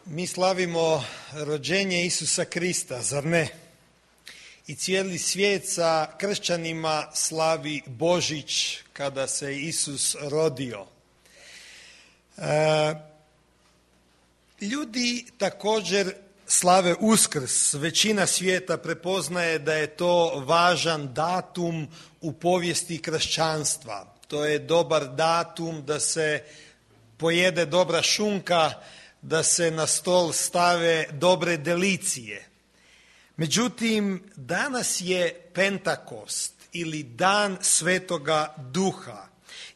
Mi slavimo rođenje Isusa Krista, zar ne? I cijeli svijet sa kršćanima slavi Božić kada se Isus rodio. Ljudi također slave Uskrs. Većina svijeta prepoznaje da je to važan datum u povijesti kršćanstva. To je dobar datum da se pojede dobra šunka, da se na stol stave dobre delicije. Međutim, danas je Pentakost ili Dan Svetoga Duha.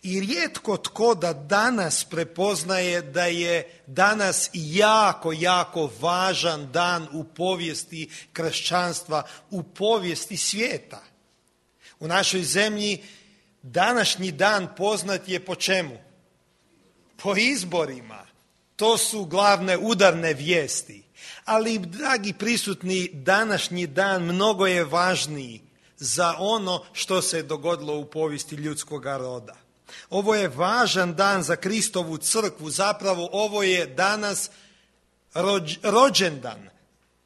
I rijetko tko da danas prepoznaje da je danas jako važan dan u povijesti kršćanstva, u povijesti svijeta. U našoj zemlji današnji dan poznat je po čemu? Po izborima. To su glavne udarne vijesti. Ali, dragi prisutni, današnji dan mnogo je važniji za ono što se dogodilo u povijesti ljudskoga roda. Ovo je važan dan za Kristovu crkvu, zapravo ovo je danas rođendan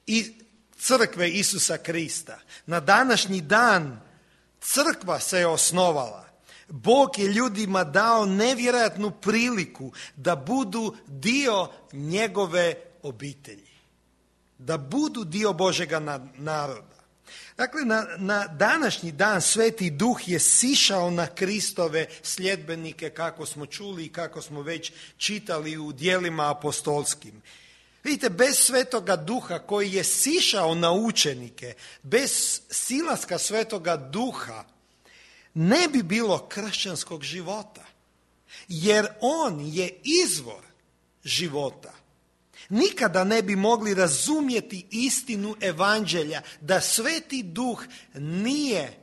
i crkve Isusa Krista. Na današnji dan crkva se je osnovala. Bog je ljudima dao nevjerojatnu priliku da budu dio njegove obitelji, da budu dio Božjega naroda. Dakle, na današnji dan Sveti Duh je sišao na Kristove sljedbenike, kako smo čuli i kako smo već čitali u djelima apostolskim. Vidite, bez Svetoga Duha koji je sišao na učenike, bez silaska Svetoga Duha, ne bi bilo kršćanskog života, jer on je izvor života. Nikada ne bi mogli razumjeti istinu evanđelja da Sveti Duh nije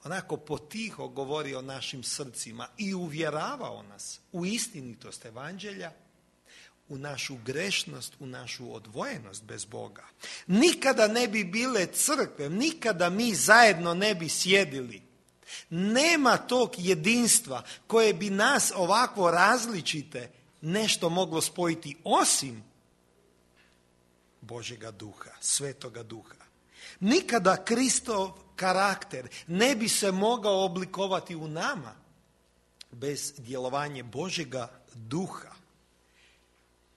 onako potiho govorio o našim srcima i uvjeravao nas u istinitost evanđelja, u našu grešnost, u našu odvojenost bez Boga. Nikada ne bi bile crkve, nikada mi zajedno ne bi sjedili. Nema tog jedinstva koje bi nas ovako različite nešto moglo spojiti osim Božjega Duha, Svetoga Duha. Nikada Kristov karakter ne bi se mogao oblikovati u nama bez djelovanja Božjega Duha.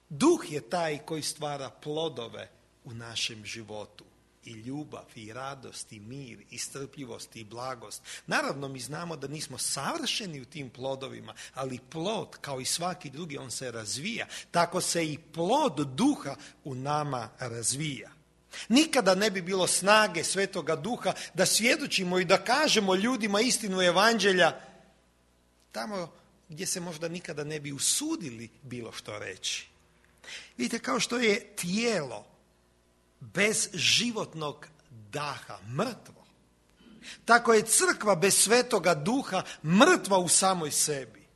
Duh je taj koji stvara plodove u našem životu. I ljubav, i radost, i mir, i strpljivost, i blagost. Naravno, mi znamo da nismo savršeni u tim plodovima, ali plod, kao i svaki drugi, on se razvija. Tako se i plod Duha u nama razvija. Nikada ne bi bilo snage Svetoga Duha da svjedočimo i da kažemo ljudima istinu evanđelja tamo gdje se možda nikada ne bi usudili bilo što reći. Vidite, kao što je tijelo bez životnog daha mrtvo, tako je crkva bez Svetoga Duha mrtva u samoj sebi.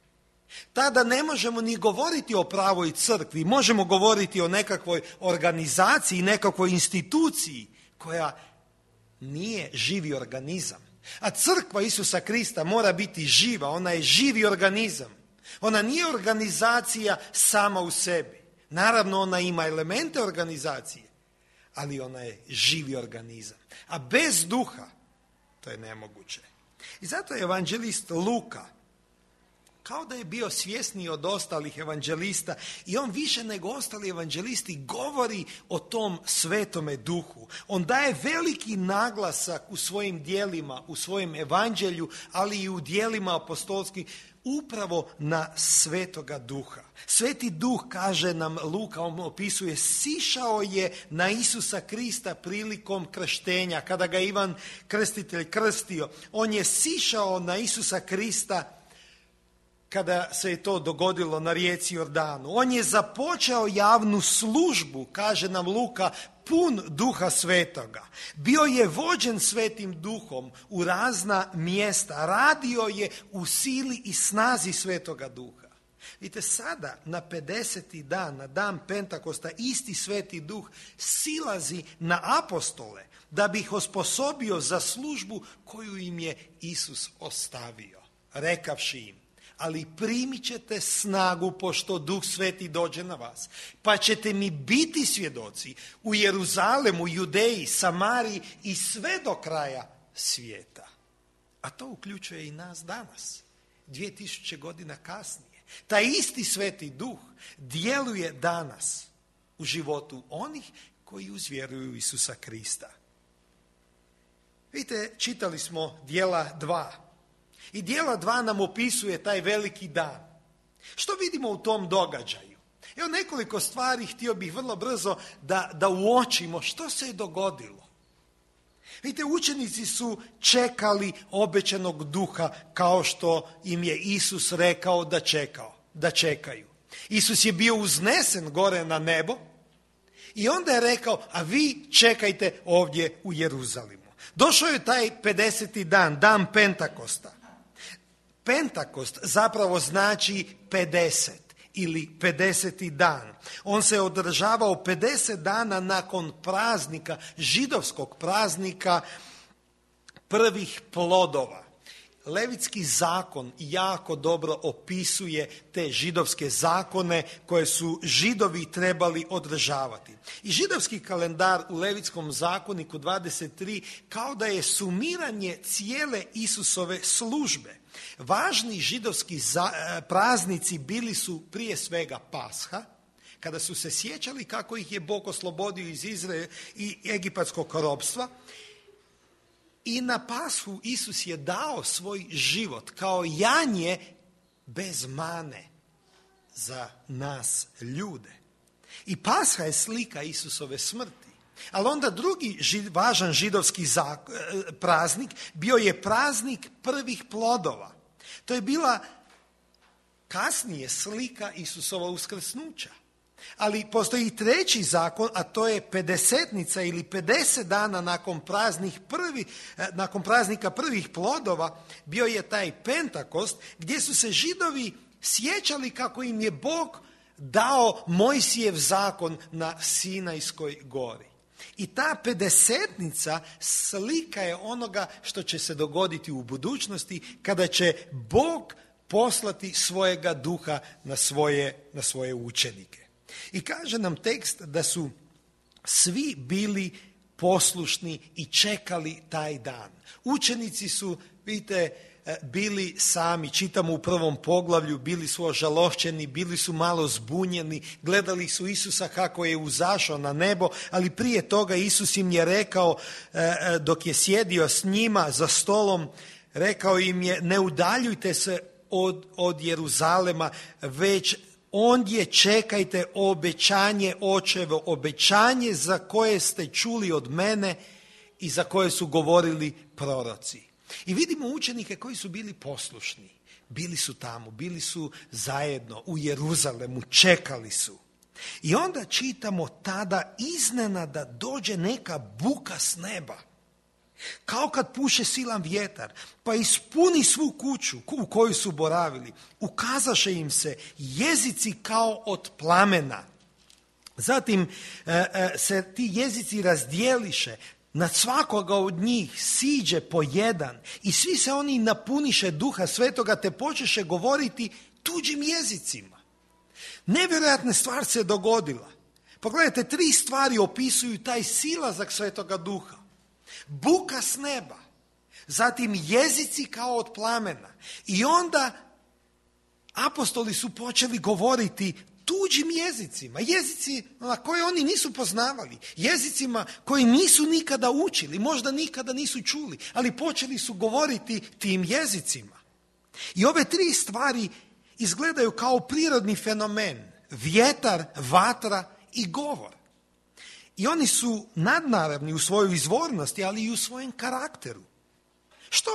Tada ne možemo ni govoriti o pravoj crkvi, možemo govoriti o nekakvoj organizaciji, nekakvoj instituciji koja nije živi organizam. A crkva Isusa Krista mora biti živa, ona je živi organizam. Ona nije organizacija sama u sebi. Naravno, ona ima elemente organizacije, ali ona je živi organizam. A bez duha to je nemoguće. I zato je evanđelist Luka, kao da je bio svjesniji od ostalih evanđelista, i on više nego ostali evanđelisti govori o tom Svetome Duhu. On daje veliki naglasak u svojim djelima, u svojem evanđelju, ali i u djelima apostolskim, upravo na Svetoga Duha. Sveti Duh, kaže nam Luka, on opisuje, sišao je na Isusa Krista prilikom krštenja. Kada ga Ivan Krstitelj krstio, on je sišao na Isusa Krista kada se je to dogodilo na rijeci Jordanu. On je započeo javnu službu, kaže nam Luka, pun Duha Svetoga. Bio je vođen Svetim Duhom u razna mjesta. Radio je u sili i snazi Svetoga Duha. Vidite, sada na 50. dan, na dan Pentakosta, isti Sveti Duh silazi na apostole da bi ih osposobio za službu koju im je Isus ostavio, rekavši im: ali primit ćete snagu pošto Duh Sveti dođe na vas. Pa ćete mi biti svjedoci u Jeruzalemu, Judeji, Samariji i sve do kraja svijeta. A to uključuje i nas danas, 2000 godina kasnije. Taj isti Sveti Duh djeluje danas u životu onih koji uzvjeruju u Isusa Krista. Vidite, čitali smo Djela 2. I Djela 2 nam opisuje taj veliki dan. Što vidimo u tom događaju? Evo nekoliko stvari htio bih vrlo brzo da uočimo što se je dogodilo. Vidite, učenici su čekali obećanog Duha kao što im je Isus rekao da čekaju. Isus je bio uznesen gore na nebo i onda je rekao, a vi čekajte ovdje u Jeruzalemu. Došao je taj 50. dan Pentakosta. Pentakost zapravo znači 50 ili 50. dan. On se održavao 50 dana nakon praznika, židovskog praznika prvih plodova. Levitski zakon jako dobro opisuje te židovske zakone koje su Židovi trebali održavati. I židovski kalendar u Levitskom zakoniku 23 kao da je sumiranje cijele Isusove službe. Važni židovski praznici bili su prije svega Pasha, kada su se sjećali kako ih je Bog oslobodio iz Izraela i egipatskog ropstva. I na Pashu Isus je dao svoj život kao janje bez mane za nas ljude. I Pasha je slika Isusove smrti. Ali onda drugi važan židovski praznik bio je praznik prvih plodova. To je bila kasnije slika Isusova uskrsnuća. Ali postoji i treći zakon, a to je pedesetnica ili 50 dana nakon praznika prvih plodova, bio je taj Pentakost gdje su se Židovi sjećali kako im je Bog dao Mojsijev zakon na Sinajskoj gori. I ta pedesetnica slika je onoga što će se dogoditi u budućnosti kada će Bog poslati svojega Duha na svoje učenike. I kaže nam tekst da su svi bili poslušni i čekali taj dan. Učenici su, vidite, bili sami, čitamo u 1. poglavlju, bili su ožalošćeni, bili su malo zbunjeni, gledali su Isusa kako je uzašao na nebo, ali prije toga Isus im je rekao, dok je sjedio s njima za stolom, rekao im je, ne udaljujte se od Jeruzalema, već ondje čekajte obećanje očevo, obećanje za koje ste čuli od mene i za koje su govorili proroci. I vidimo učenike koji su bili poslušni. Bili su tamo, bili su zajedno u Jeruzalemu, čekali su. I onda čitamo tada iznenada dođe neka buka s neba. Kao kad puše silan vjetar, pa ispuni svu kuću u koju su boravili. Ukazaše im se jezici kao od plamena. Zatim se ti jezici razdjeliše, nad svakoga od njih siđe po jedan i svi se oni napuniše Duha Svetoga te počeše govoriti tuđim jezicima. Nevjerojatna stvar se dogodila. Pogledajte, 3 stvari opisuju taj silazak Svetoga Duha. Buka s neba, zatim jezici kao od plamena i onda apostoli su počeli govoriti tuđim jezicima, jezici na koje oni nisu poznavali, jezicima koji nisu nikada učili, možda nikada nisu čuli, ali počeli su govoriti tim jezicima. I ove 3 stvari izgledaju kao prirodni fenomen, vjetar, vatra i govor. I oni su nadnaravni u svojoj izvornosti, ali i u svojem karakteru. Što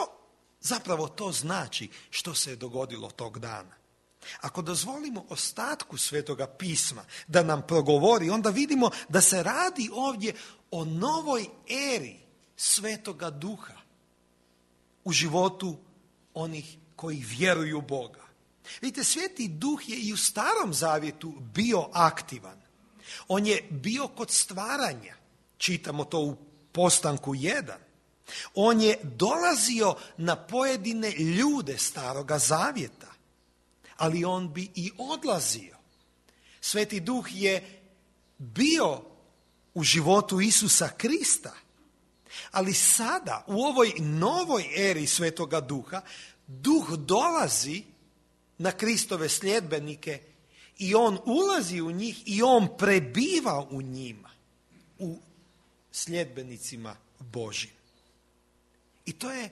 zapravo to znači što se je dogodilo tog dana? Ako dozvolimo ostatku Svetoga pisma da nam progovori, onda vidimo da se radi ovdje o novoj eri Svetoga Duha u životu onih koji vjeruju u Boga. Vidite, Sveti Duh je i u Starom Zavjetu bio aktivan. On je bio kod stvaranja, čitamo to u Postanku 1. On je dolazio na pojedine ljude Staroga Zavjeta. ali on bi i odlazio. Sveti Duh je bio u životu Isusa Krista, ali sada u ovoj novoj eri Svetoga Duha, Duh dolazi na Kristove sljedbenike i on ulazi u njih i on prebiva u njima, u sljedbenicima Božjim. I to je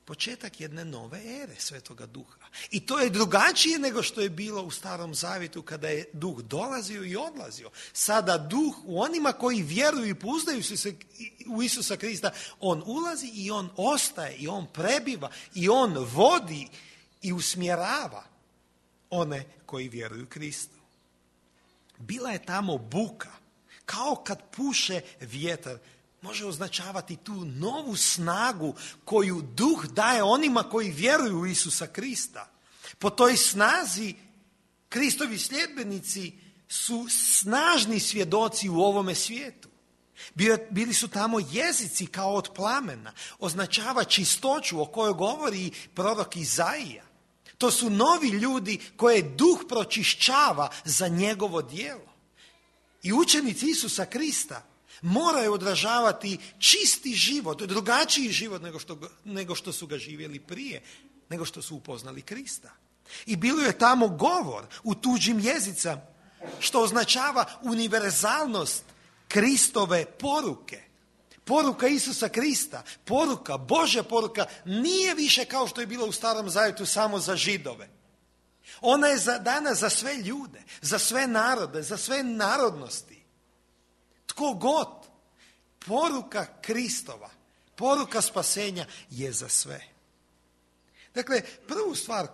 početak jedne nove ere Svetoga Duha. I to je drugačije nego što je bilo u Starom Zavjetu kada je Duh dolazio i odlazio. Sada Duh u onima koji vjeruju i pouzdaju se u Isusa Krista, on ulazi i on ostaje i on prebiva i on vodi i usmjerava one koji vjeruju Kristu. Bila je tamo buka, kao kad puše vjetar. Može označavati tu novu snagu koju Duh daje onima koji vjeruju u Isusa Krista. Po toj snazi Kristovi sljedbenici su snažni svjedoci u ovome svijetu. Bili su tamo jezici kao od plamena. Označava čistoću o kojoj govori prorok Izaija. To su novi ljudi koje Duh pročišćava za njegovo djelo. I učenici Isusa Krista moraju odražavati čisti život, drugačiji život nego što su ga živjeli prije, nego što su upoznali Krista. I bilo je tamo govor u tuđim jezicama, što označava univerzalnost Kristove poruke. Poruka Isusa Krista, poruka, Božja poruka, nije više kao što je bilo u Starom Zavjetu samo za Židove. Ona je dana za sve ljude, za sve narode, za sve narodnosti. Tko god, poruka Kristova, poruka spasenja je za sve. Dakle, prvu stvar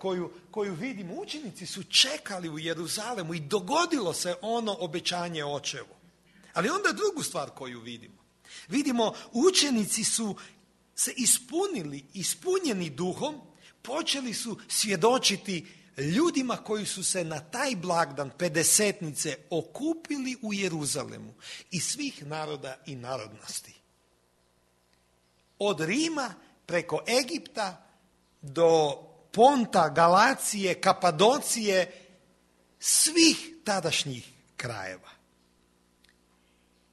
koju vidimo, učenici su čekali u Jeruzalemu i dogodilo se ono obećanje očevu. Ali onda drugu stvar koju vidimo, učenici su se ispunjeni duhom, počeli su svjedočiti ljudima koji su se na taj blagdan Pedesetnice okupili u Jeruzalemu iz svih naroda i narodnosti. Od Rima preko Egipta do Ponta, Galacije, Kapadocije, svih tadašnjih krajeva.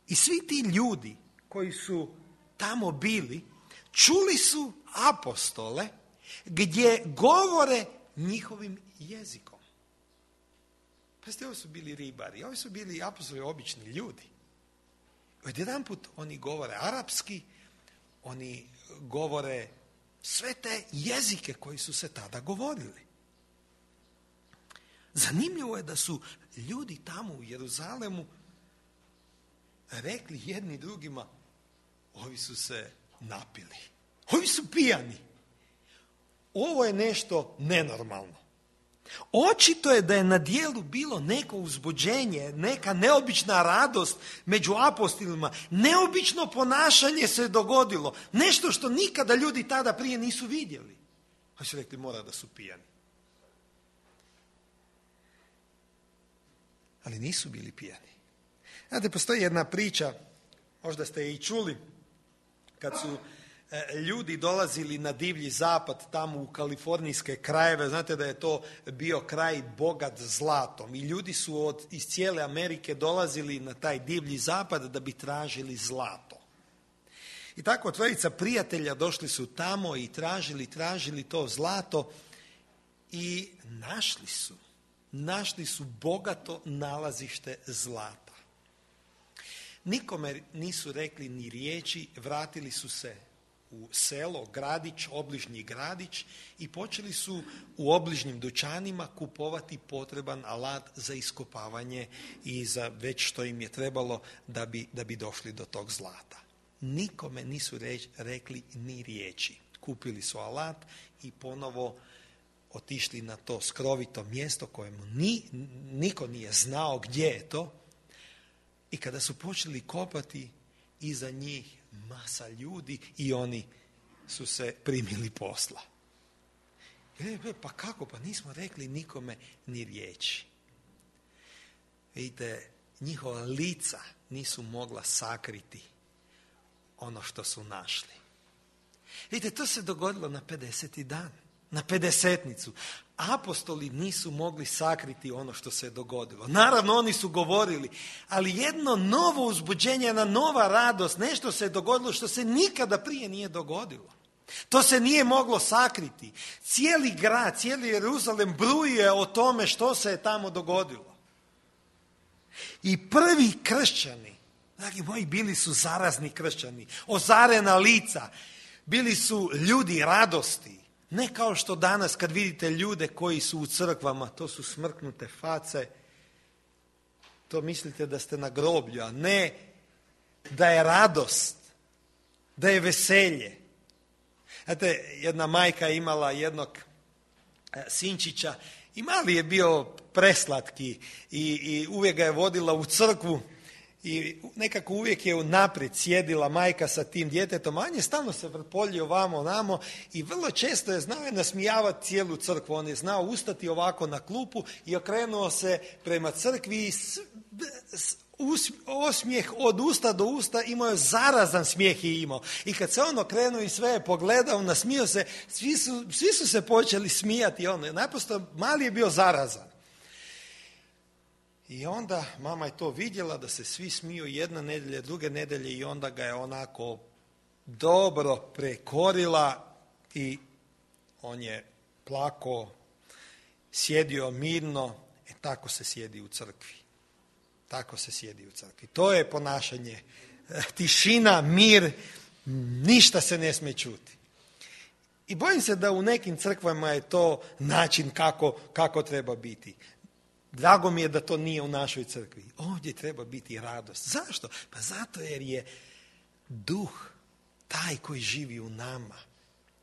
I svi ti ljudi koji su tamo bili, čuli su apostole gdje govore njihovim jezikom. Pazite, ovo su bili ribari, ovi su bili apostoli obični ljudi. Odjedanput oni govore arapski, oni govore sve te jezike koji su se tada govorili. Zanimljivo je da su ljudi tamo u Jeruzalemu rekli jedni drugima, ovi su se napili, ovi su pijani. Ovo je nešto nenormalno. Očito je da je na djelu bilo neko uzbuđenje, neka neobična radost među apostolima, neobično ponašanje se dogodilo, nešto što nikada ljudi tada prije nisu vidjeli. Oni su rekli, mora da su pijani. Ali nisu bili pijani. Znate, postoji jedna priča, možda ste je i čuli, kad su ljudi dolazili na divlji zapad tamo u kalifornijske krajeve. Znate da je to bio kraj bogat zlatom i ljudi su iz cijele Amerike dolazili na taj divlji zapad da bi tražili zlato. I tako trojica prijatelja došli su tamo i tražili to zlato i našli su bogato nalazište zlata. Nikome nisu rekli ni riječi, vratili su se u selo, gradić, obližnji gradić i počeli su u obližnjim dućanima kupovati potreban alat za iskopavanje i za već što im je trebalo da bi došli do tog zlata. Nikome nisu rekli ni riječi. Kupili su alat i ponovo otišli na to skrovito mjesto kojemu niko nije znao gdje je to. I kada su počeli kopati, iza njih masa ljudi i oni su se primili posla. Pa kako? Pa nismo rekli nikome ni riječi. Vidite, njihova lica nisu mogla sakriti ono što su našli. Vidite, to se dogodilo na 50. dan, na Pedesetnicu. apostoli nisu mogli sakriti ono što se dogodilo. Naravno, oni su govorili, ali jedno novo uzbuđenje, jedna nova radost, nešto se dogodilo što se nikada prije nije dogodilo. To se nije moglo sakriti. Cijeli grad, cijeli Jeruzalem bruje o tome što se je tamo dogodilo. I prvi kršćani, dragi moji, bili su zarazni kršćani, ozarena lica, bili su ljudi radosti. Ne kao što danas kad vidite ljude koji su u crkvama, to su smrknute face, to mislite da ste na groblju, a ne da je radost, da je veselje. Znate, jedna majka je imala jednog sinčića i mali je bio preslatki i uvijek ga je vodila u crkvu i nekako uvijek je naprijed sjedila majka sa tim djetetom, a on je stalno se vrpoljio vamo namo i vrlo često je znao nasmijavati cijelu crkvu. On je znao ustati ovako na klupu i okrenuo se prema crkvi i osmijeh od usta do usta, imao je zarazan smijeh i imao. I kad se on okrenuo i sve je pogledao, nasmijao se, svi su se počeli smijati. Naprosto mali je bio zarazan. I onda mama je to vidjela da se svi smiju jedna nedjelja, druge nedjelje i onda ga je onako dobro prekorila i on je plakao, sjedio mirno. Tako se sjedi u crkvi. Tako se sjedi u crkvi. To je ponašanje. Tišina, mir, ništa se ne smije čuti. I bojim se da u nekim crkvama je to način kako treba biti. Drago mi je da to nije u našoj crkvi. Ovdje treba biti radost. Zašto? Pa zato jer je duh taj koji živi u nama.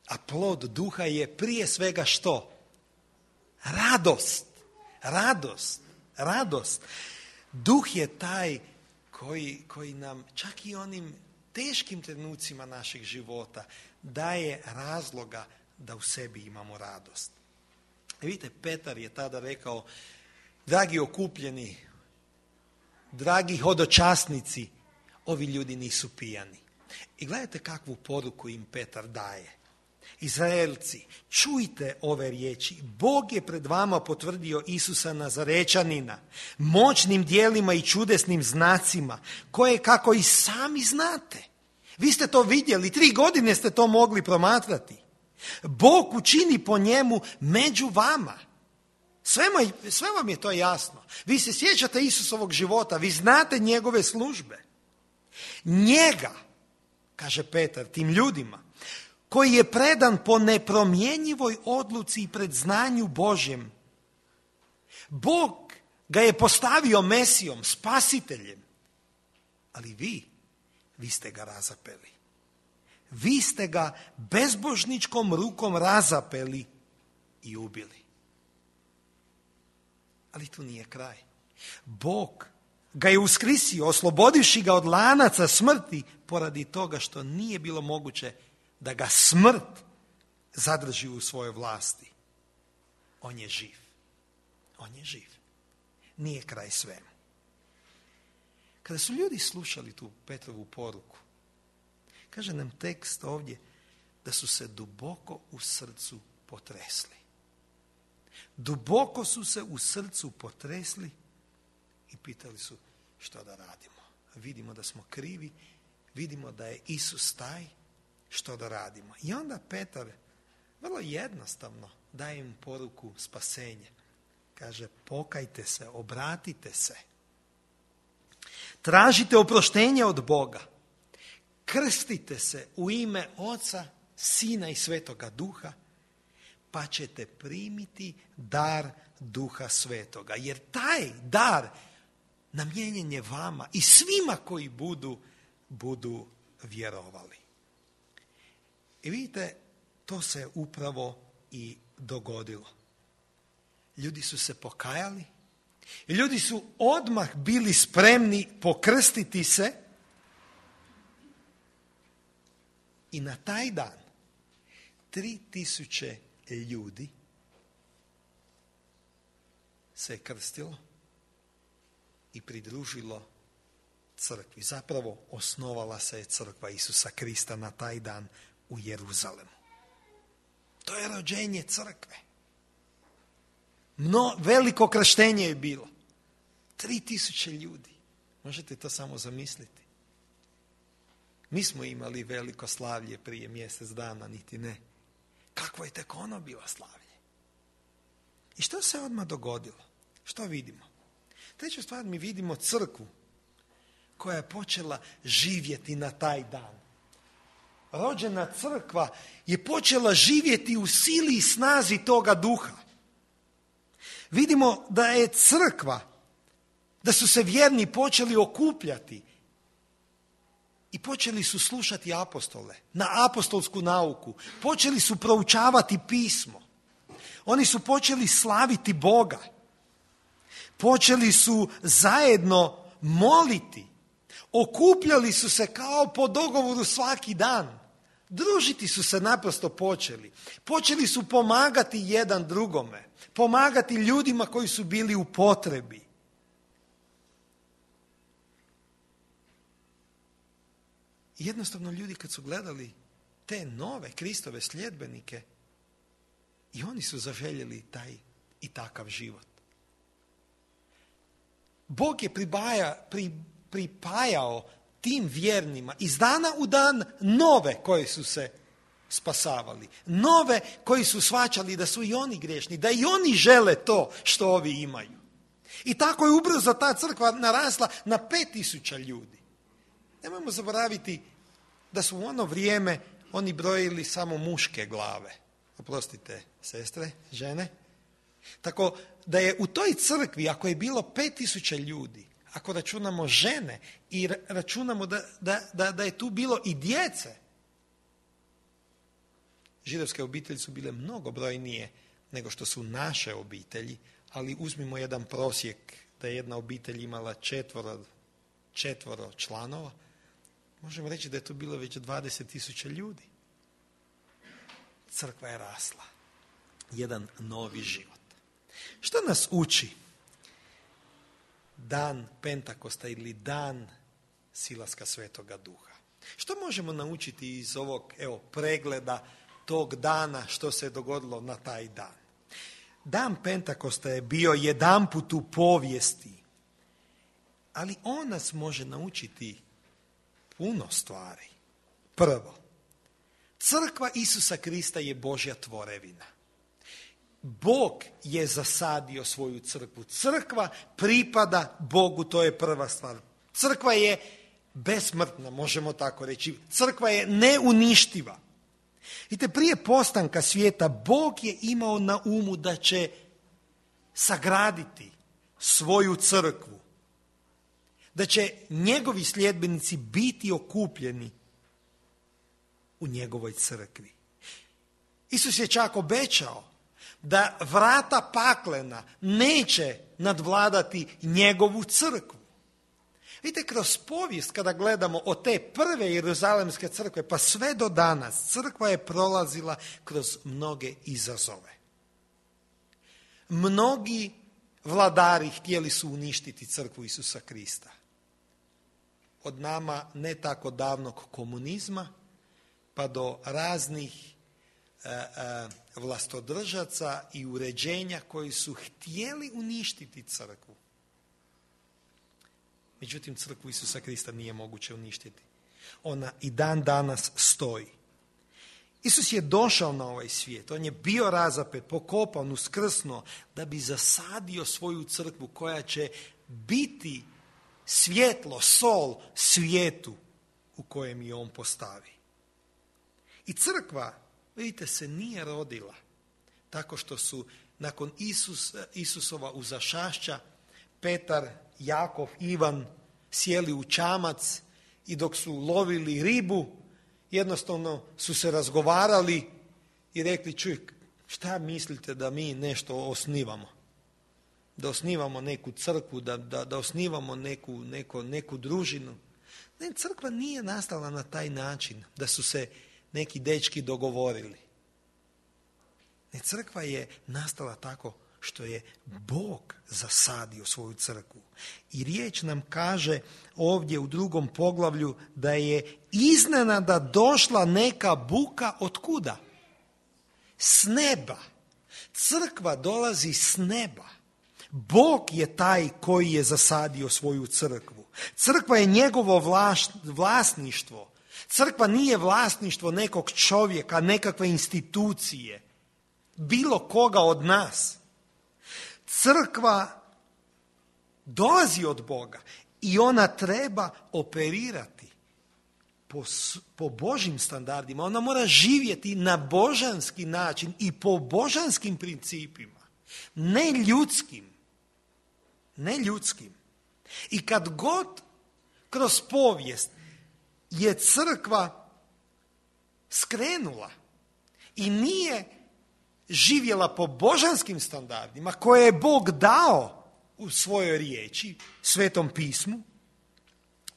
A plod duha je prije svega što? Radost. Radost. Radost. Duh je taj koji nam čak i onim teškim trenucima naših života daje razloga da u sebi imamo radost. Vidite, Petar je tada rekao: dragi okupljeni, dragi hodočasnici, ovi ljudi nisu pijani. I gledajte kakvu poruku im Petar daje. Izraelci, čujte ove riječi. Bog je pred vama potvrdio Isusa Nazarečanina moćnim djelima i čudesnim znacima, koje kako i sami znate. Vi ste to vidjeli, 3 godine ste to mogli promatrati. Bog učini po njemu među vama. Sve vam je to jasno. Vi se sjećate Isusovog života, vi znate njegove službe. Njega, kaže Petar, tim ljudima, koji je predan po nepromjenjivoj odluci i predznanju Božjem. Bog ga je postavio Mesijom, spasiteljem. Ali vi ste ga razapeli. Vi ste ga bezbožničkom rukom razapeli i ubili. Ali tu nije kraj. Bog ga je uskrisio, oslobodivši ga od lanaca smrti, poradi toga što nije bilo moguće da ga smrt zadrži u svojoj vlasti. On je živ. On je živ. Nije kraj svemu. Kada su ljudi slušali tu Petrovu poruku, kaže nam tekst ovdje da su se duboko u srcu potresli. Duboko su se u srcu potresli i pitali su što da radimo. Vidimo da smo krivi, vidimo da je Isus taj, što da radimo. I onda Petar vrlo jednostavno daje im poruku spasenja. Kaže, pokajte se, obratite se. Tražite oproštenje od Boga. Krstite se u ime Oca, Sina i Svetoga Duha, pa ćete primiti dar Duha Svetoga. Jer taj dar namijenjen je vama i svima koji budu vjerovali. I vidite, to se upravo i dogodilo. Ljudi su se pokajali, ljudi su odmah bili spremni pokrstiti se i na taj dan 3000 ljudi se je krstilo i pridružilo crkvi. Zapravo osnovala se je crkva Isusa Krista na taj dan u Jeruzalemu. To je rođenje crkve. Veliko krštenje je bilo. 3000 ljudi. Možete to samo zamisliti. Mi smo imali veliko slavlje prije mjesec dana, niti ne. Kakvo je tek ono bilo slavlje? I što se odmah dogodilo? Što vidimo? Treća stvar, mi vidimo crkvu koja je počela živjeti na taj dan. Rođena crkva je počela živjeti u sili i snazi toga duha. Vidimo da je crkva, da su se vjerni počeli okupljati i počeli su slušati apostole, na apostolsku nauku. Počeli su proučavati pismo. Oni su počeli slaviti Boga. Počeli su zajedno moliti. Okupljali su se kao po dogovoru svaki dan. Družiti su se naprosto počeli. Počeli su pomagati jedan drugome. Pomagati ljudima koji su bili u potrebi. Jednostavno ljudi kad su gledali te nove Kristove sljedbenike, i oni su zaželjeli taj i takav život. Bog je pripajao tim vjernima iz dana u dan nove koji su se spasavali. Nove koji su shvaćali da su i oni grešni, da i oni žele to što ovi imaju. I tako je ubrzo ta crkva narasla na 5000 ljudi. Nemojmo zaboraviti da su u ono vrijeme oni brojili samo muške glave. Oprostite, sestre, žene. Tako da je u toj crkvi, ako je bilo 5000 ljudi, ako računamo žene i računamo da je tu bilo i djece, židovske obitelji su bile mnogo brojnije nego što su naše obitelji, ali uzmimo jedan prosjek da je jedna obitelj imala četvoro članova, možemo reći da je to bilo već 20.000 ljudi. Crkva je rasla. Jedan novi život. Što nas uči dan Pentakosta ili dan silaska Svetoga Duha? Što možemo naučiti iz ovog pregleda tog dana što se je dogodilo na taj dan? Dan Pentakosta je bio jedanput u povijesti, ali on nas može naučiti puno stvari. Prvo, crkva Isusa Krista je Božja tvorevina. Bog je zasadio svoju crkvu. Crkva pripada Bogu, to je prva stvar. Crkva je besmrtna, možemo tako reći. Crkva je neuništiva. Vidite, prije postanka svijeta Bog je imao na umu da će sagraditi svoju crkvu. Da će njegovi sljedbenici biti okupljeni u njegovoj crkvi. Isus je čak obećao da vrata paklena neće nadvladati njegovu crkvu. Vidite, kroz povijest kada gledamo od te prve Jeruzalemske crkve pa sve do danas, crkva je prolazila kroz mnoge izazove. Mnogi vladari htjeli su uništiti crkvu Isusa Krista. Od nama ne tako davnog komunizma pa do raznih vlastodržaca i uređenja koji su htjeli uništiti crkvu. Međutim, crkvu Isusa Krista nije moguće uništiti. Ona i dan danas stoji. Isus je došao na ovaj svijet. On je bio razapet, pokopan, uskrsnuo da bi zasadio svoju crkvu koja će biti svjetlo, sol svijetu u kojem je on postavi. I crkva, vidite, se nije rodila tako što su nakon Isusova uzašašća Petar, Jakov, Ivan sjeli u čamac i dok su lovili ribu, jednostavno su se razgovarali i rekli, čuj, šta mislite da mi nešto osnivamo? Da osnivamo neku crkvu, da osnivamo neku družinu. Ne, crkva nije nastala na taj način da su se neki dečki dogovorili. Ne, crkva je nastala tako što je Bog zasadio svoju crkvu. I riječ nam kaže ovdje u 2. poglavlju da je iznenada došla neka buka od kuda? S neba. Crkva dolazi s neba. Bog je taj koji je zasadio svoju crkvu. Crkva je njegovo vlasništvo. Crkva nije vlasništvo nekog čovjeka, nekakve institucije, bilo koga od nas. Crkva dolazi od Boga i ona treba operirati po Božjim standardima. Ona mora živjeti na božanski način i po božanskim principima, ne ljudskim. I kad god kroz povijest je crkva skrenula i nije živjela po božanskim standardima koje je Bog dao u svojoj riječi, Svetom pismu,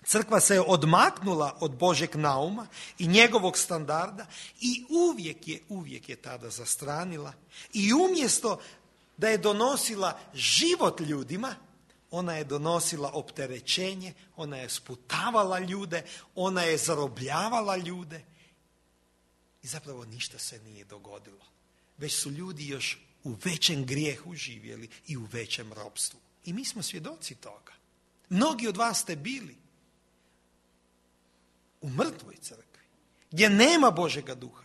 crkva se je odmaknula od Božjeg nauma i njegovog standarda i uvijek je tada zastranila. I umjesto da je donosila život ljudima, ona je donosila opterećenje, ona je sputavala ljude, ona je zarobljavala ljude i zapravo ništa se nije dogodilo. Već su ljudi još u većem grijehu živjeli i u većem ropstvu. I mi smo svjedoci toga. Mnogi od vas ste bili u mrtvoj crkvi, gdje nema Božega duha.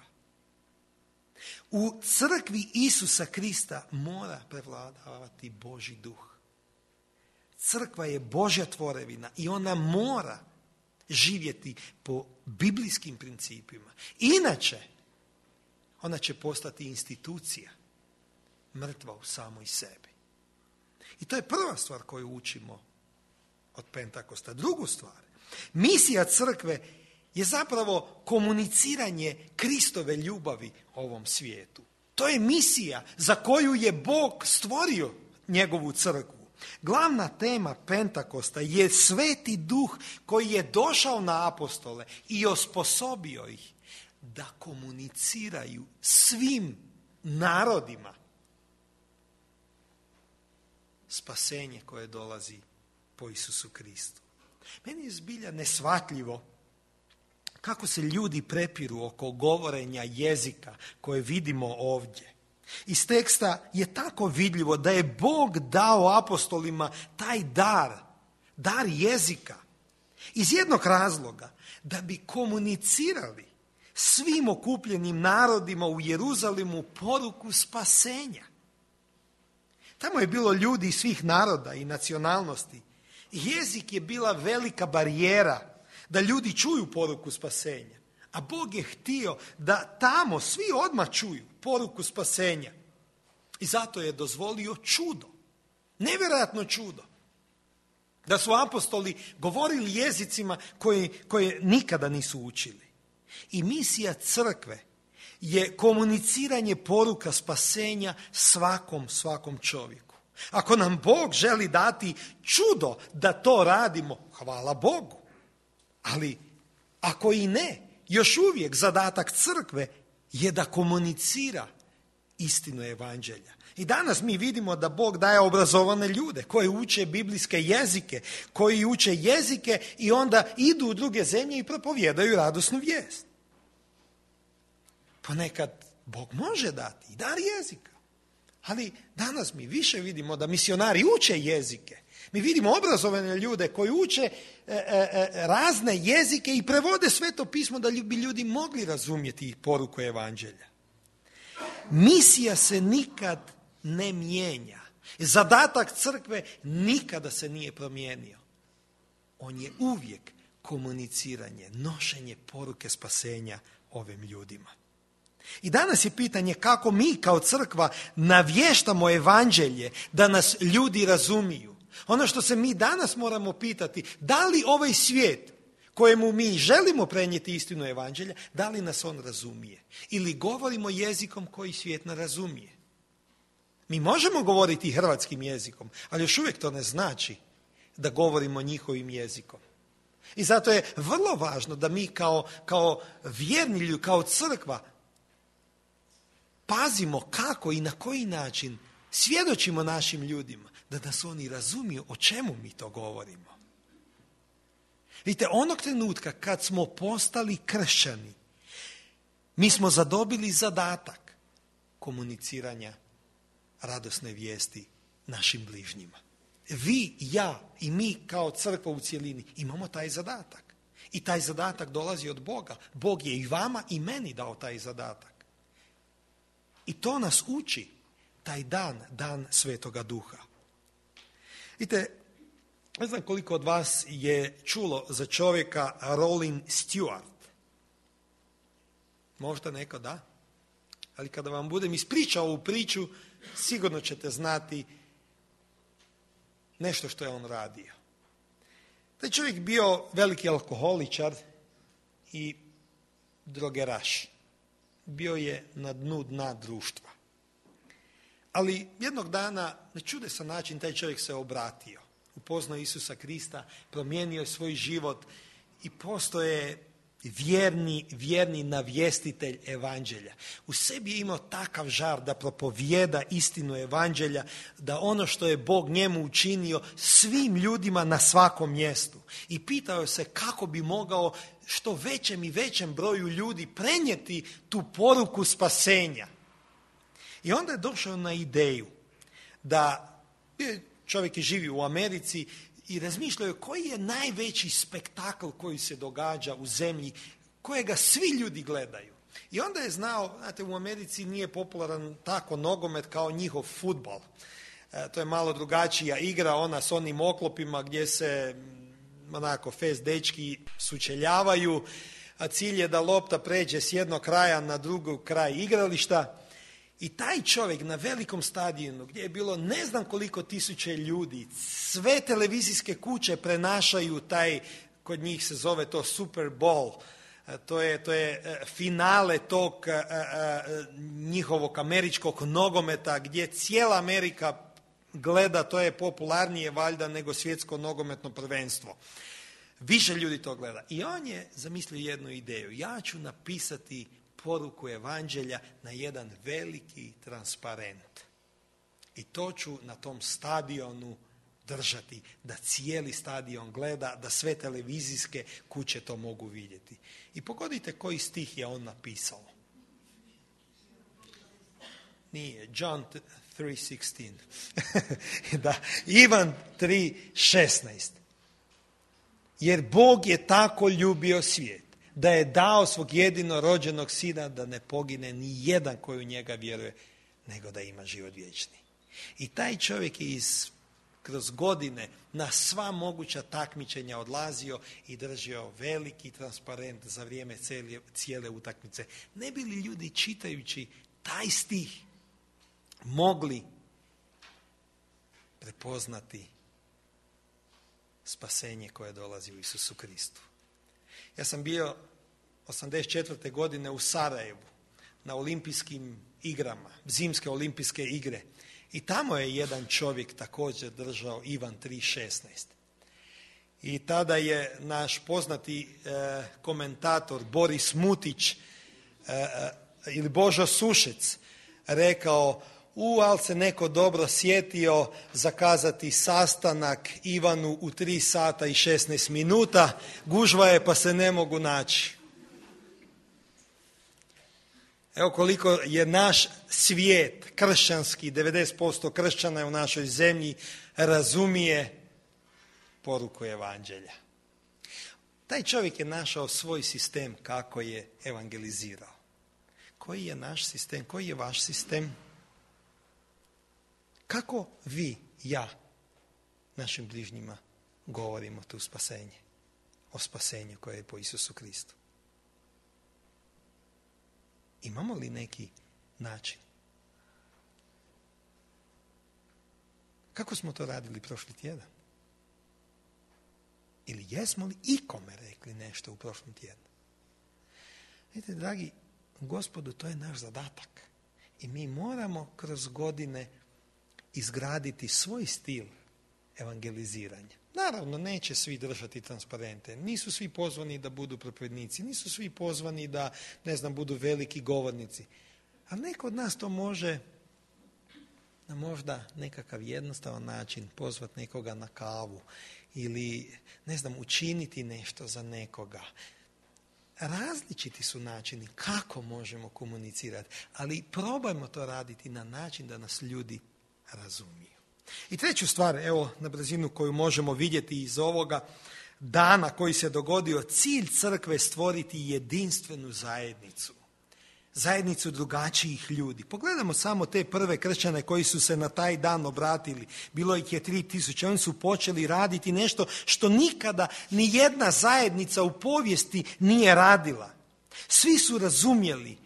U crkvi Isusa Krista mora prevladavati Božji duh. Crkva je Božja tvorevina i ona mora živjeti po biblijskim principima. Inače, ona će postati institucija, mrtva u samoj sebi. I to je prva stvar koju učimo od Pentakosta. Drugu stvar, misija crkve je zapravo komuniciranje Kristove ljubavi ovom svijetu. To je misija za koju je Bog stvorio njegovu crkvu. Glavna tema Pentakosta je Sveti Duh koji je došao na apostole i osposobio ih da komuniciraju svim narodima spasenje koje dolazi po Isusu Kristu. Meni je zbilja neshvatljivo kako se ljudi prepiru oko govorenja jezika koje vidimo ovdje. Iz teksta je tako vidljivo da je Bog dao apostolima taj dar jezika. Iz jednog razloga, da bi komunicirali svim okupljenim narodima u Jeruzalemu poruku spasenja. Tamo je bilo ljudi iz svih naroda i nacionalnosti. Jezik je bila velika barijera da ljudi čuju poruku spasenja. A Bog je htio da tamo svi odmah čuju poruku spasenja. I zato je dozvolio čudo. Nevjerojatno čudo. Da su apostoli govorili jezicima koje nikada nisu učili. I misija crkve je komuniciranje poruka spasenja svakom čovjeku. Ako nam Bog želi dati čudo da to radimo, hvala Bogu. Ali ako i ne, još uvijek zadatak crkve je da komunicira istinu evanđelja. I danas mi vidimo da Bog daje obrazovane ljude koji uče biblijske jezike, koji uče jezike i onda idu u druge zemlje i propovijedaju radosnu vijest. Ponekad Bog može dati i dar jezika. Ali danas mi više vidimo da misionari uče jezike. Mi vidimo obrazovane ljude koji uče razne jezike i prevode Sveto pismo da bi ljudi mogli razumjeti poruku evanđelja. Misija se nikad ne mijenja. Zadatak crkve nikada se nije promijenio. On je uvijek komuniciranje, nošenje poruke spasenja ovim ljudima. I danas je pitanje kako mi kao crkva navještamo evanđelje da nas ljudi razumiju. Ono što se mi danas moramo pitati, da li ovaj svijet kojemu mi želimo prenijeti istinu evanđelja, da li nas on razumije? Ili govorimo jezikom koji svijet ne razumije? Mi možemo govoriti hrvatskim jezikom, ali još uvijek to ne znači da govorimo njihovim jezikom. I zato je vrlo važno da mi kao vjerni ljudi, kao crkva, pazimo kako i na koji način svjedočimo našim ljudima, da nas oni razumiju o čemu mi to govorimo. Vidite, onog trenutka kad smo postali kršćani, mi smo zadobili zadatak komuniciranja radosne vijesti našim bližnjima. Vi, ja i mi kao crkva u cjelini imamo taj zadatak. I taj zadatak dolazi od Boga. Bog je i vama i meni dao taj zadatak. I to nas uči taj dan Svetoga Duha. Vidite, ne znam koliko od vas je čulo za čovjeka Rollin Stewart. Možda neko da. Ali kada vam budem ispričao ovu priču, sigurno ćete znati nešto što je on radio. Taj čovjek bio veliki alkoholičar i drogeraš. Bio je na dnu dna društva. Ali jednog dana, na čudesan način, taj čovjek se obratio. Upoznao Isusa Krista, promijenio je svoj život i postoje vjerni navjestitelj evanđelja. U sebi je imao takav žar da propovijeda istinu evanđelja, da ono što je Bog njemu učinio svim ljudima na svakom mjestu. I pitao se kako bi mogao što većem i većem broju ljudi prenijeti tu poruku spasenja. I onda je došao na ideju da čovjek je živio u Americi i razmišljaju koji je najveći spektakl koji se događa u zemlji, kojega svi ljudi gledaju. I onda je znao, znate, u Americi nije popularan tako nogomet kao njihov fudbal. To je malo drugačija igra, ona s onim oklopima gdje se onako fest dečki sučeljavaju, a cilj je da lopta pređe s jednog kraja na drugi kraj igrališta. I taj čovjek na velikom stadionu gdje je bilo ne znam koliko tisuće ljudi, sve televizijske kuće prenašaju taj, kod njih se zove to Super Bowl, to je finale tog njihovog američkog nogometa gdje cijela Amerika gleda, to je popularnije valjda nego svjetsko nogometno prvenstvo. Više ljudi to gleda. I on je zamislio jednu ideju. Ja ću napisati poruku evanđelja na jedan veliki transparent. I to ću na tom stadionu držati, da cijeli stadion gleda, da sve televizijske kuće to mogu vidjeti. I pogodite koji stih je on napisao. Nije, John 3:16. Da, Ivan 3:16. Jer Bog je tako ljubio svijet, da je dao svog jedinorođenog sina da ne pogine ni jedan koji u njega vjeruje, nego da ima život vječni. I taj čovjek je kroz godine na sva moguća takmičenja odlazio i držao veliki transparent za vrijeme cijele utakmice. Ne bi li ljudi čitajući taj stih mogli prepoznati spasenje koje dolazi u Isusu Kristu? Ja sam bio 1984. godine u Sarajevu na olimpijskim igrama, zimske olimpijske igre. I tamo je jedan čovjek također držao Ivan 3:16. I tada je naš poznati komentator Boris Mutić ili Božo Sušec rekao: ali se neko dobro sjetio zakazati sastanak Ivanu u 3:16, gužva je pa se ne mogu naći. Evo koliko je naš svijet kršćanski, 90% kršćana je u našoj zemlji, razumije poruku evanđelja. Taj čovjek je našao svoj sistem kako je evangelizirao. Koji je naš sistem? Koji je vaš sistem? Kako vi, ja, našim bližnjima govorimo tu spasenje? O spasenju koje je po Isusu Kristu. Imamo li neki način? Kako smo to radili prošli tjedan? Ili jesmo li ikome rekli nešto u prošlom tjednu? Vidite, dragi Gospodu, to je naš zadatak. I mi moramo kroz godine izgraditi svoj stil evangeliziranja. Naravno, neće svi držati transparente. Nisu svi pozvani da budu propovjednici. Nisu svi pozvani da, budu veliki govornici. Ali neko od nas to može na možda nekakav jednostavan način pozvati nekoga na kavu ili, učiniti nešto za nekoga. Različiti su načini kako možemo komunicirati, ali probajmo to raditi na način da nas ljudi razumiju. I treću stvar, evo na brzinu koju možemo vidjeti iz ovoga dana koji se dogodio, cilj crkve je stvoriti jedinstvenu zajednicu. Zajednicu drugačijih ljudi. Pogledamo samo te prve kršćane koji su se na taj dan obratili. Bilo ih je 3000. Oni su počeli raditi nešto što nikada ni jedna zajednica u povijesti nije radila. Svi su razumjeli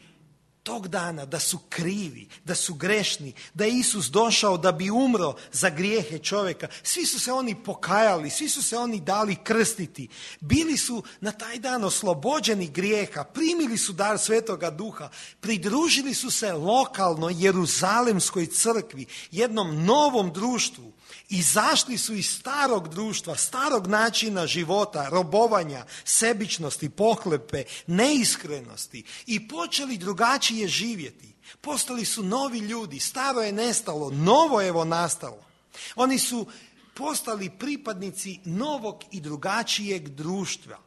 tog dana da su krivi, da su grešni, da je Isus došao da bi umro za grijehe čovjeka. Svi su se oni pokajali, svi su se oni dali krstiti. Bili su na taj dan oslobođeni grijeha, primili su dar Svetoga Duha, pridružili su se lokalnoj Jeruzalemskoj crkvi, jednom novom društvu. Izašli su iz starog društva, starog načina života, robovanja, sebičnosti, pohlepe, neiskrenosti i počeli drugačije živjeti. Postali su novi ljudi, staro je nestalo, novo je evo nastalo. Oni su postali pripadnici novog i drugačijeg društva.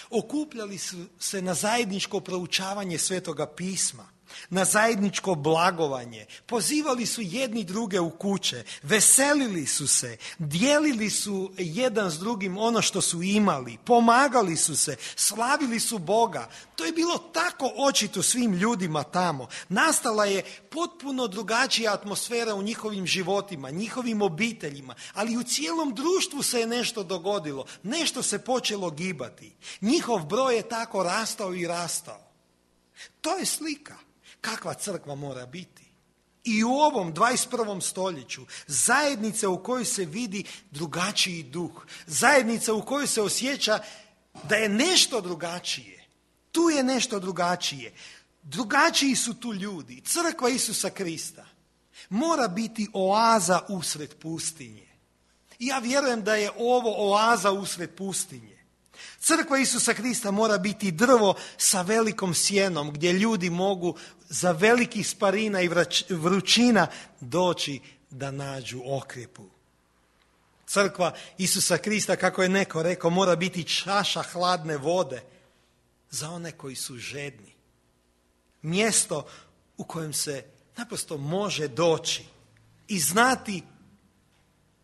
Okupljali su se na zajedničko proučavanje Svetoga pisma, na zajedničko blagovanje, pozivali su jedni druge u kuće, veselili su se, dijelili su jedan s drugim ono što su imali, pomagali su se, slavili su Boga. To je bilo tako očito svim ljudima tamo. Nastala je potpuno drugačija atmosfera u njihovim životima, njihovim obiteljima, ali u cijelom društvu se je nešto dogodilo, nešto se počelo gibati. Njihov broj je tako rastao i rastao. To je slika kakva crkva mora biti. I u ovom 21. stoljeću zajednica u kojoj se vidi drugačiji duh, zajednica u kojoj se osjeća da je nešto drugačije. Tu je nešto drugačije. Drugačiji su tu ljudi. Crkva Isusa Krista mora biti oaza usred pustinje. I ja vjerujem da je ovo oaza usred pustinje. Crkva Isusa Krista mora biti drvo sa velikom sjenom gdje ljudi mogu za velikih sparina i vrućina doći da nađu okrjepu. Crkva Isusa Krista, kako je neko rekao, mora biti čaša hladne vode za one koji su žedni. Mjesto u kojem se naprosto može doći i znati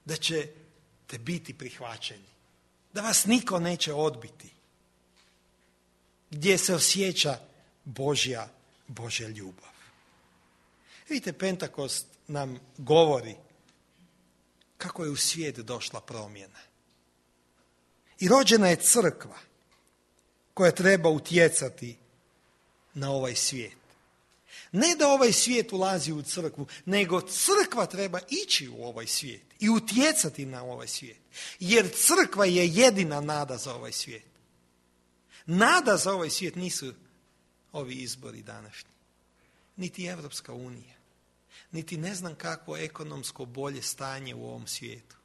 da ćete biti prihvaćeni. Da vas niko neće odbiti. Gdje se osjeća Božja ljubav. Vidite, Pentakost nam govori kako je u svijet došla promjena. I rođena je crkva koja treba utjecati na ovaj svijet. Ne da ovaj svijet ulazi u crkvu, nego crkva treba ići u ovaj svijet i utjecati na ovaj svijet. Jer crkva je jedina nada za ovaj svijet. Nada za ovaj svijet nisu ovi izbori današnji, niti Evropska unija, niti ne znam kakvo ekonomsko bolje stanje u ovom svijetu.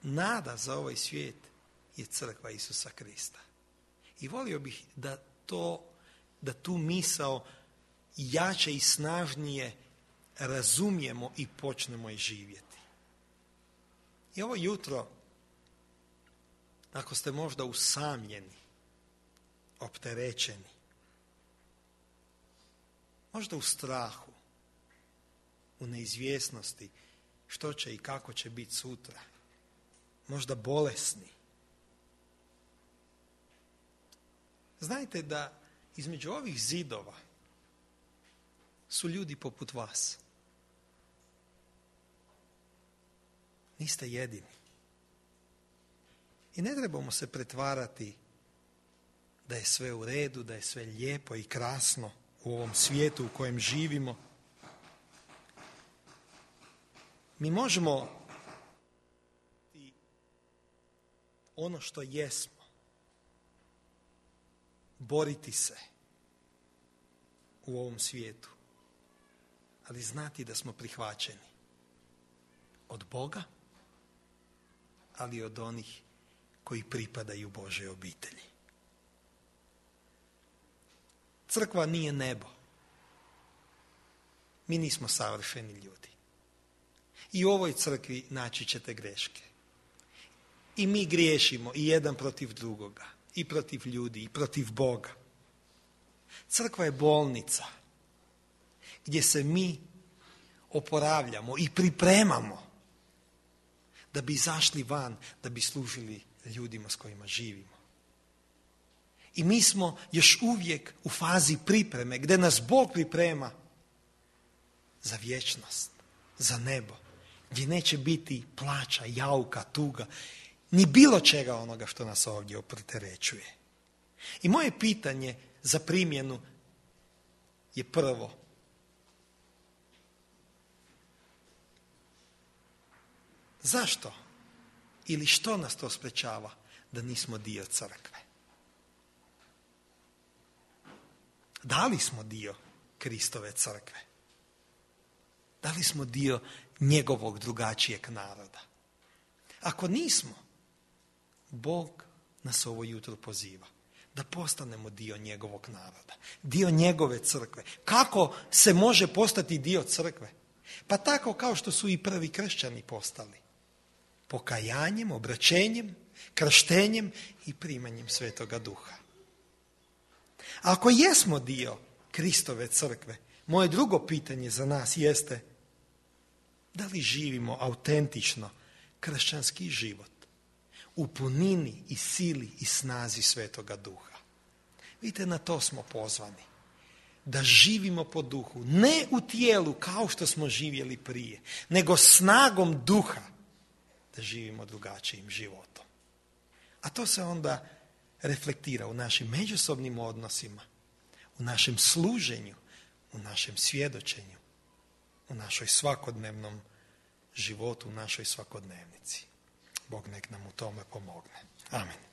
Nada za ovaj svijet je crkva Isusa Krista. I volio bih da tu misao jače i snažnije razumijemo i počnemo je živjeti. I ovo jutro, ako ste možda usamljeni, opterećeni, možda u strahu, u neizvjesnosti što će i kako će biti sutra, možda bolesni, znajte da između ovih zidova su ljudi poput vas. Niste jedini. I ne trebamo se pretvarati da je sve u redu, da je sve lijepo i krasno u ovom svijetu u kojem živimo. Mi možemo ono što jesmo, boriti se u ovom svijetu, ali znati da smo prihvaćeni od Boga, ali i od onih koji pripadaju Božoj obitelji. Crkva nije nebo. Mi nismo savršeni ljudi. I u ovoj crkvi naći ćete greške. I mi griješimo i jedan protiv drugoga, i protiv ljudi, i protiv Boga. Crkva je bolnica gdje se mi oporavljamo i pripremamo da bi izašli van, da bi služili ljudima s kojima živimo. I mi smo još uvijek u fazi pripreme, gdje nas Bog priprema za vječnost, za nebo, gdje neće biti plača, jauka, tuga, ni bilo čega onoga što nas ovdje opterećuje. I moje pitanje za primjenu je prvo: zašto ili što nas to sprečava da nismo dio crkve? Da li smo dio Kristove crkve? Da li smo dio njegovog drugačijeg naroda? Ako nismo, Bog nas ovo jutro poziva da postanemo dio njegovog naroda, dio njegove crkve. Kako se može postati dio crkve? Pa tako kao što su i prvi kršćani postali. Pokajanjem, obraćenjem, krštenjem i primanjem Svetoga Duha. Ako jesmo dio Kristove crkve, moje drugo pitanje za nas jeste: da li živimo autentično kršćanski život u punini i sili i snazi Svetoga Duha? Vidite, na to smo pozvani. Da živimo po duhu, ne u tijelu kao što smo živjeli prije, nego snagom duha da živimo drugačijim životom. A to se onda reflektira u našim međusobnim odnosima, u našem služenju, u našem svjedočenju, u našoj svakodnevnom životu, u našoj svakodnevnici. Bog nek nam u tome pomogne. Amen.